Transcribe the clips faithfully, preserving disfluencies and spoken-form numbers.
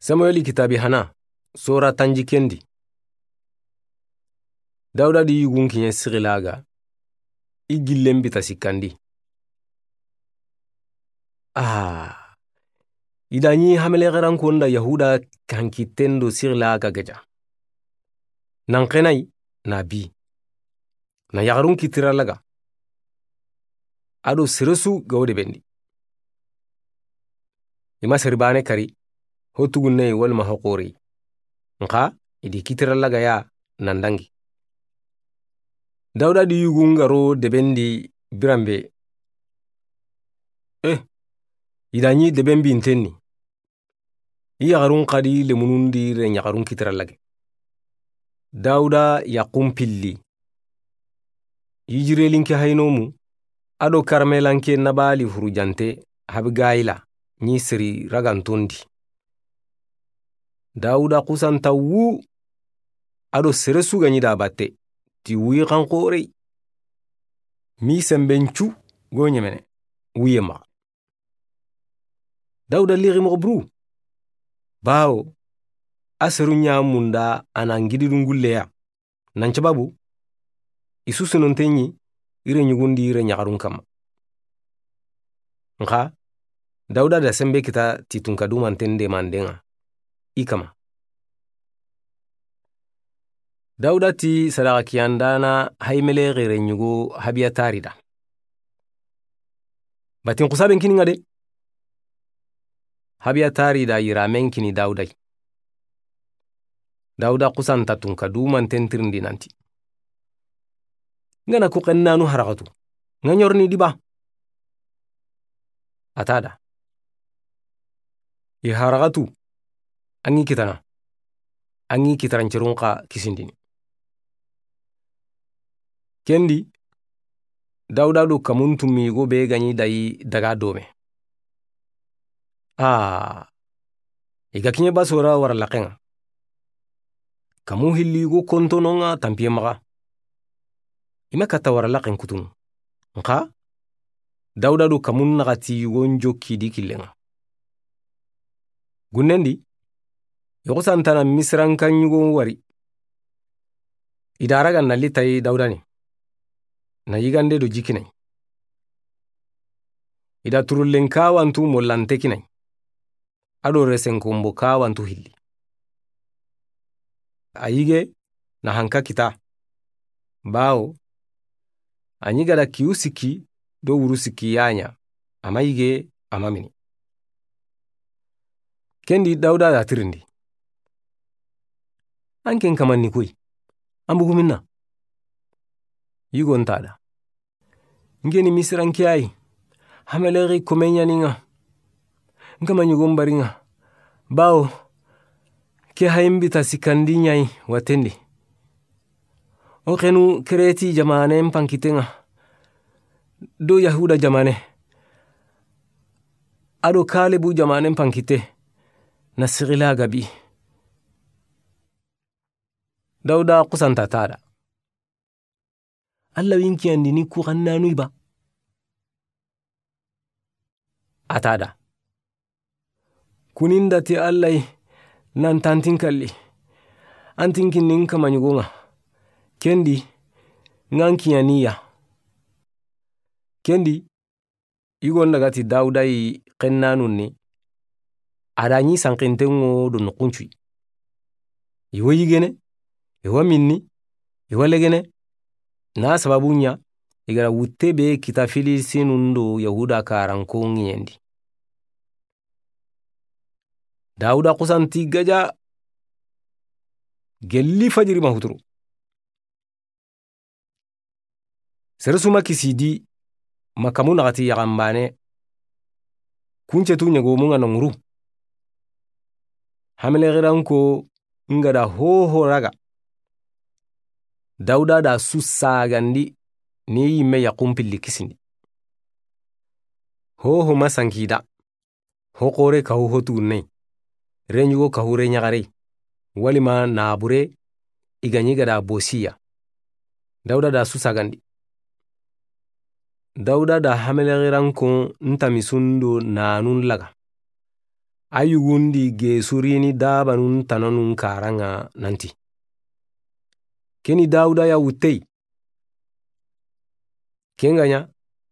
Samueli kitaabi hana, sora tanjikke ndi. Dawuda di yugun kiɲe Sigilaga, i gillen bita sikkandi. Ah, i da ɲi hamelexeranko nda Yahuda kankitten do Sigilaga geja. Nan xenai na bi. Na yaxarun kitira laga. A do sere su ga wo debendi. I ma seri baane kari, ho tugunne walima ho xoore. Nxa, i di kitira laga ya nan dangi. Dawuda di yugun ga ro debendi biranbe. Eh, i da ɲi deben bintenni. I yaxarun xadi lemunun di re ɲaxarun kitira lage. Dawuda yaxun pilli. Yijirelin ke haynomu, a do Karmelan ke Nabali hurujante Habigayila ɲi seri raganton di. Dawuda xusanta wu, a do sere su ga ɲi da batte, ti wuyi xan xoorey. Mi semben cu go ɲemene, wuye maxa. Dawuda lixi moxo buru. Bawo, a seru ɲa munda a na ngididun gulleya. Nan cababu, i su senonte ɲi, i re ɲugundi i re ɲaxarun kamma. Nxa, Dawuda da sembe kita ti tunka dumanten demandenga, i kama. Dawuda ti sadaxa kiyandana Hayimelexi re ɲugo Habiyatari da. Batin xusaben kini nga de. Habiyatari da yiramen kini Dawuda yi. Dawuda xusanta tunka dumanten tirindi nanti. Nga na ku xennanu haraxatu. Nga ɲorni diba. A ta da. I haraxatu. An ŋi kitana. An ŋi kitarancerun xa kisindini. Kendi, Dawuda do kamun tummi go be ga ɲi dayi daga dome. A, i ga kiɲe basora wara laxenga. Kamu hilli go kontononga tampiye maxa. I ma katta wara laxen kutunu. Nxa, Dawuda do kamun naxati yugon jokki di killenga. Gunnendi, yoxo santana Misiranka ɲugon wari. I da raga na litayi Dawuda ni. Na yigande do jikinai. I da turullen kawantu mollante kinai. A do resen kombo kawantu hilli. A yige na hanka kita. Bawo, a ɲi gada kiyu sikki do wuru sikki ya ɲa, a ma yige, a ma mini. Kendi Dawuda da tirindi. An ken kamanni koy. An bugu minna. Yigo nta da. N ke ni Misiranke yi, Hamelexi kome ɲaninga. N kama ɲugon baringa. Bawo, ke hayin bita sikkandi ɲayi watendi. O xenu Kereti jamanen pankitenga. Do Yahuda jamane. A do Kalebu jamanen pankite. Na Sigilaga bi. Dawuda xusanta ta da. Alla winkiyandi ni ku xannanu i ba. A ta da. Kuninda ti Alla yi nan tantin kalli. An tinkinni n kama ɲugonga. Kendi, ngan kiyaniya. Kendi, Yigon daga ti Dawuda yi xennanun ni, a da ɲi sankinten ŋo do noxuncuyi. I wa yigene, i wa minni, i wa legene, na sababu ɲa, i gara wutte be kita Filisinun do Yahuda karanko ŋiɲendi. Dawuda xusanti gaja, gelli fajiri ma huturu. Sere su ma kisi di, ma kamu naxati yaxanbane, kuncetu ɲegomu ŋa na ŋuru. Hamelexiranko nga da hoho raga. Dawuda da su sagandi, ni yimme yaxun pilli kisindi. Hoho ma sankida. Ho xoore kahu ho tugunney, renɲugo kahu renɲaxarey, walima naabure i ga ɲi gada bosiya. Dawuda da su sagandi. Dawuda da hamelexiranko ntamisun do nanun laga. A yugundi gesurini dabanun tananun karaŋa nanti, "Keni Dawuda ya wuttey." Kenŋa ɲa,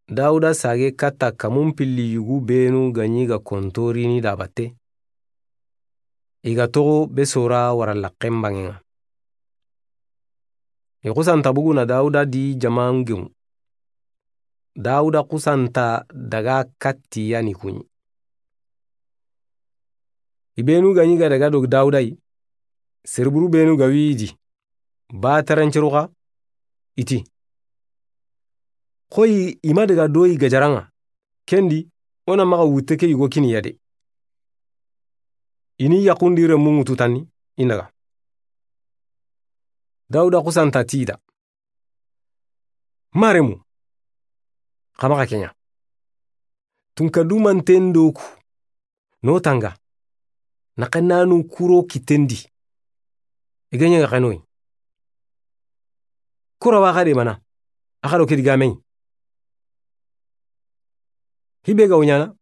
Dawuda sage katta kamun pilli yugu benu ga ɲi ga kontorini da batte, i ga toxo be sora wara laxen banŋeŋa. I xusanta bugu na Dawuda di jaman geŋu. Dawuda xusanta daga katti yani kuɲi. I benu ga ɲi ga daga do Dawuda yi, serburu benu ga wi i di, ba taranceru xa, i ti, "Xoyi i ma daga do i gajaraŋa, kendi o na maxa wutte ke yugo kini ya de." I ni yaxundi remunŋu tutanni, i naga. Dawuda xusanta ti i da, "Maremu, xa maxa keɲa. Tunka dumanten do ku no tanga, na xennanu kuro kitendi. I ga ɲa ga xenoyi. Kura wa xa de mana, a xa do ke digameyi. Hibe ga wuɲana,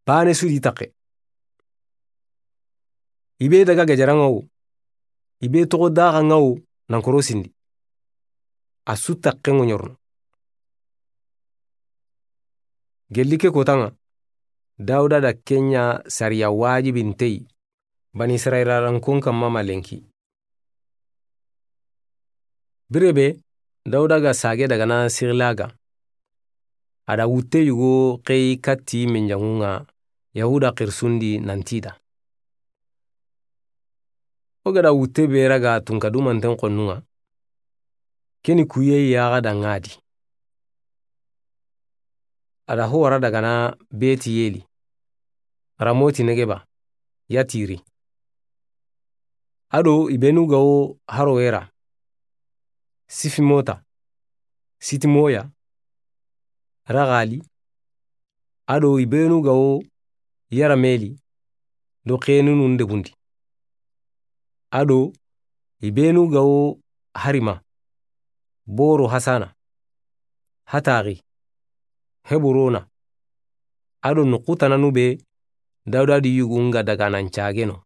bane su di taxe. I be daga gajaraŋa wo, i be toxo daxaŋa wo, nan korosindi. A su taxe ŋoɲorno." Gelli ke kotaŋa, Dawuda da keɲa sariya wajibintey, Bani Israila rankon kamma ma lenki. Birebe, Dawuda ga sage daga na Sigilaga, a da wutte yugo xeyi katti menjaŋuŋa Yahuda xirsundi nanti da, "O ga da wutte be raga tunka dumanten xonnuŋa, keni kuye yaxa da ŋa di." A da ho wara daga na Beti Yeli, Ramoti Negeba, Yatiri. A do i benu ga wo Harowera, Sifimota, Sitimoya, Ragali, a do i benu ga wo Yarameli do xenunun debundi. A do i benu ga wo Harima, Boro Hasana, Hatari, Heburona, a do noxu tananu be Dawuda di yugun ga daga nan cageno,